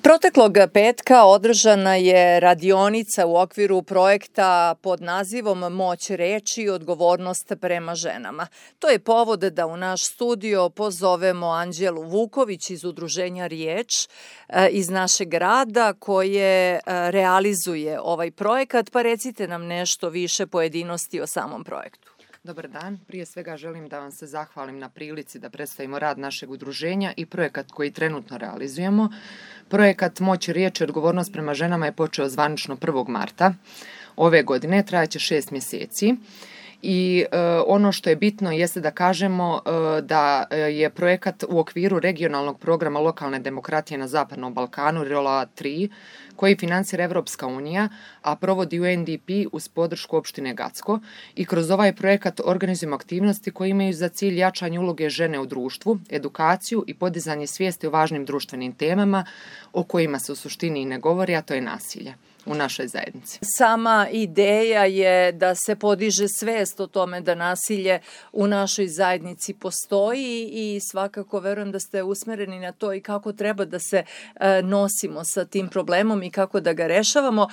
Proteklog petka održana je radionica u okviru projekta pod nazivom Moć reči i odgovornost prema ženama. To je povod da u naš studio pozovemo Anđelu Vuković iz udruženja Riječ iz našeg grada koje realizuje ovaj projekat, pa recite nam nešto više pojedinosti o samom projektu. Dobar dan. Prije svega želim da vam se zahvalim na prilici da predstavimo rad našeg udruženja i projekat koji trenutno realizujemo. Projekat Moć riječi i odgovornost prema ženama je počeo zvanično 1. marta ove godine, trajaće 6 mjeseci. I ono što je bitno jeste da kažemo da je projekat u okviru regionalnog programa lokalne demokratije na Zapadnom Balkanu, ROLA 3, koji financira Evropska unija, a provodi UNDP uz podršku opštine Gacko. I kroz ovaj projekat organizujemo aktivnosti koje imaju za cilj jačanje uloge žene u društvu, edukaciju i podizanje svijesti o važnim društvenim temama o kojima se u suštini i ne govori, a to je nasilje u našoj zajednici. Sama ideja je da se podiže svest o tome da nasilje u našoj zajednici postoji i svakako verujem da ste usmereni na to i kako treba da se nosimo sa tim problemom i kako da ga rešavamo.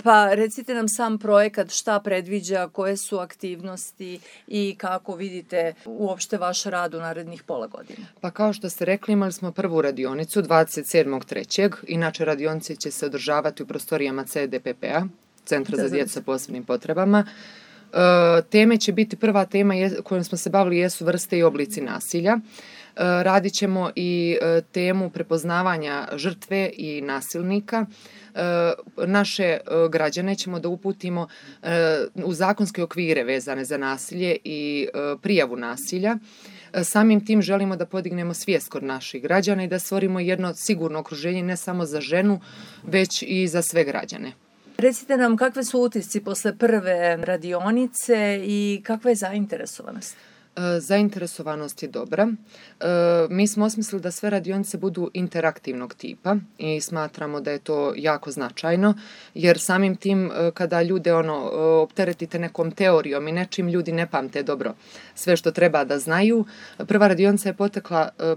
Pa recite nam sam projekat, šta predviđa, koje su aktivnosti i kako vidite uopšte vaš rad u narednih pola godine. Pa kao što ste rekli, imali smo prvu radionicu 27.3. Inače radionice će se održavati u prostorijama CDPP-a, Centra za djecu sa posebnim potrebama. Teme će biti, prva tema kojom smo se bavili jesu vrste i oblici nasilja. Radit ćemo i temu prepoznavanja žrtve i nasilnika. Naše građane ćemo da uputimo u zakonske okvire vezane za nasilje i prijavu nasilja. Samim tim želimo da podignemo svijest kod naših građana i da stvorimo jedno sigurno okruženje ne samo za ženu, već i za sve građane. Recite nam kakve su utisci posle prve radionice i kakva je zainteresovanost? Zainteresovanost je dobra. Mi smo osmislili da sve radionice budu interaktivnog tipa i smatramo da je to jako značajno, jer samim tim kada ljude opteretite nekom teorijom i nečim, ljudi ne pamte dobro sve što treba da znaju. Prva radionica je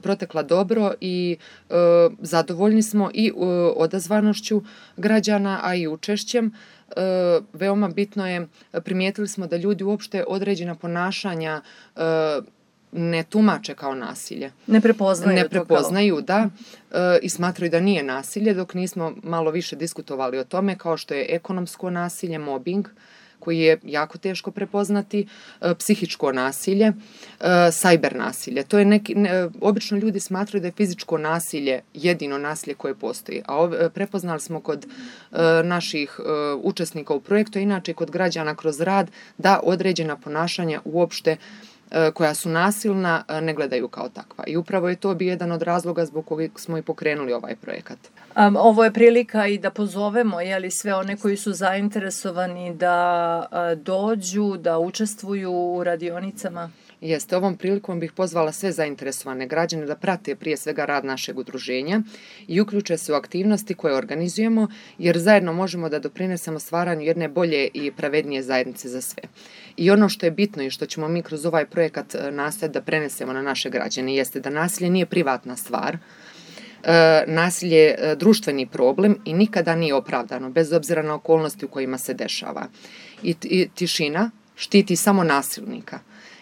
protekla dobro i zadovoljni smo i odazvanošću građana, a i učešćem. Veoma bitno je, primijetili smo da ljudi uopšte određena ponašanja ne tumače kao nasilje. Ne prepoznaju da, i smatraju da nije nasilje, dok nismo malo više diskutovali o tome, kao što je ekonomsko nasilje, mobbing, koji je jako teško prepoznati, psihičko nasilje, sajber nasilje. To je obično ljudi smatraju da je fizičko nasilje jedino nasilje koje postoji, a prepoznali smo kod naših učesnika u projektu, inače kod građana kroz rad, da određena ponašanja uopšte koja su nasilna ne gledaju kao takva. I upravo je to bio jedan od razloga zbog kojeg smo i pokrenuli ovaj projekat. Ovo je prilika i da pozovemo sve one koji su zainteresovani da dođu, da učestvuju u radionicama. Jeste, ovom prilikom bih pozvala sve zainteresovane građane da prate prije svega rad našeg udruženja i uključe se u aktivnosti koje organizujemo, jer zajedno možemo da doprinesemo stvaranju jedne bolje i pravednije zajednice za sve. I ono što je bitno i što ćemo mi kroz ovaj projekat nastojati da prenesemo na naše građane jeste da nasilje nije privatna stvar, nasilje je društveni problem i nikada nije opravdano, bez obzira na okolnosti u kojima se dešava. I tišina štiti samo nasilnika.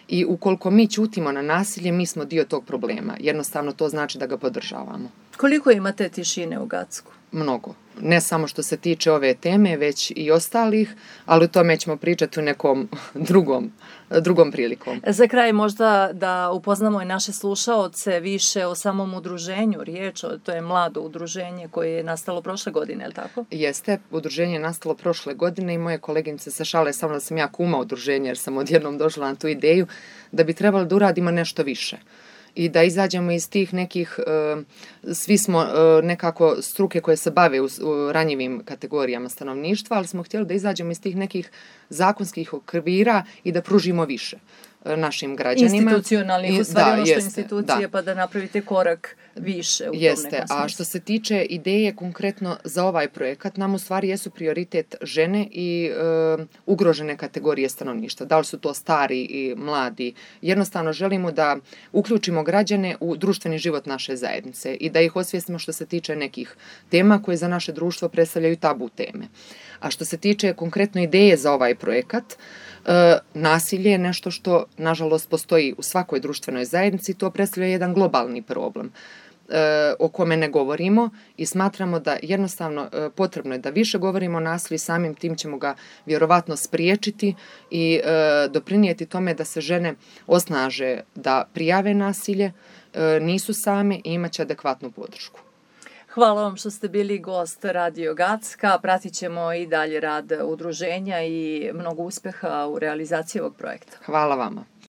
I ukoliko mi ćutimo na nasilje, mi smo dio tog problema. Jednostavno to znači da ga podržavamo. Koliko imate tišine u Gacku? Mnogo. Ne samo što se tiče ove teme, već i ostalih, ali o tome ćemo pričati u nekom drugom prilikom. Za kraj možda da upoznamo i naše slušaoce više o samom udruženju Riječ, to je mlado udruženje koje je nastalo prošle godine, je li tako? Jeste, udruženje je nastalo prošle godine i moje koleginice se šale samo da sam ja kuma udruženja, jer sam odjednom došla na tu ideju da bi trebalo da uradimo nešto više. I da izađemo iz tih nekih, svi smo nekako struke koje se bave u ranjivim kategorijama stanovništva, ali smo htjeli da izađemo iz tih nekih zakonskih okvira i da pružimo više našim građanima. Institucionalnih, u stvari ono što institucije, pa da napravite korak više u tom nekom smislu. A što se tiče ideje konkretno za ovaj projekat, nam u stvari jesu prioritet žene i ugrožene kategorije stanovništva. Da li su to stari i mladi? Jednostavno želimo da uključimo građane u društveni život naše zajednice i da ih osvijestimo što se tiče nekih tema koje za naše društvo predstavljaju tabu teme. A što se tiče konkretno ideje za ovaj projekat, nasilje je nešto što, nažalost, postoji u svakoj društvenoj zajednici i to predstavlja jedan globalni problem o kome ne govorimo i smatramo da jednostavno potrebno je da više govorimo o nasilju i samim tim ćemo ga vjerovatno spriječiti i doprinijeti tome da se žene osnaže da prijave nasilje, nisu same i imat će adekvatnu podršku. Hvala vam što ste bili gost Radio Gacka. Pratit ćemo i dalje rad udruženja i mnogo uspeha u realizaciji ovog projekta. Hvala vama.